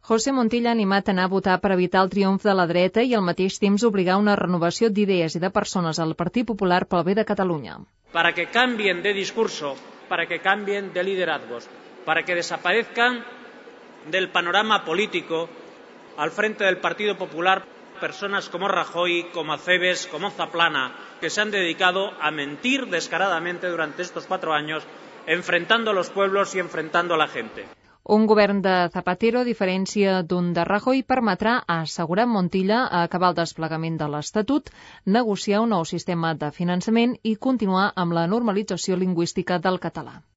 José Montilla ha animat a anar a votar per evitar el triomf de la dreta i al mateix temps obligar una renovació d'idees i de persones al Partit Popular pel bé de Catalunya. Para que cambien de discurso, para que cambien de liderazgos, para que desaparezcan del panorama político al frente del Partido Popular personas como Rajoy, como Acebes, como Zaplana, que se han dedicado a mentir descaradamente durante estos 4 años, enfrentando a los pueblos y enfrentando a la gente. Un govern de Zapatero, a diferència d'un de Rajoy, permetrà, ha assegurat Montilla, acabar el desplegament de l'Estatut, negociar un nou sistema de finançament i continuar amb la normalització lingüística del català.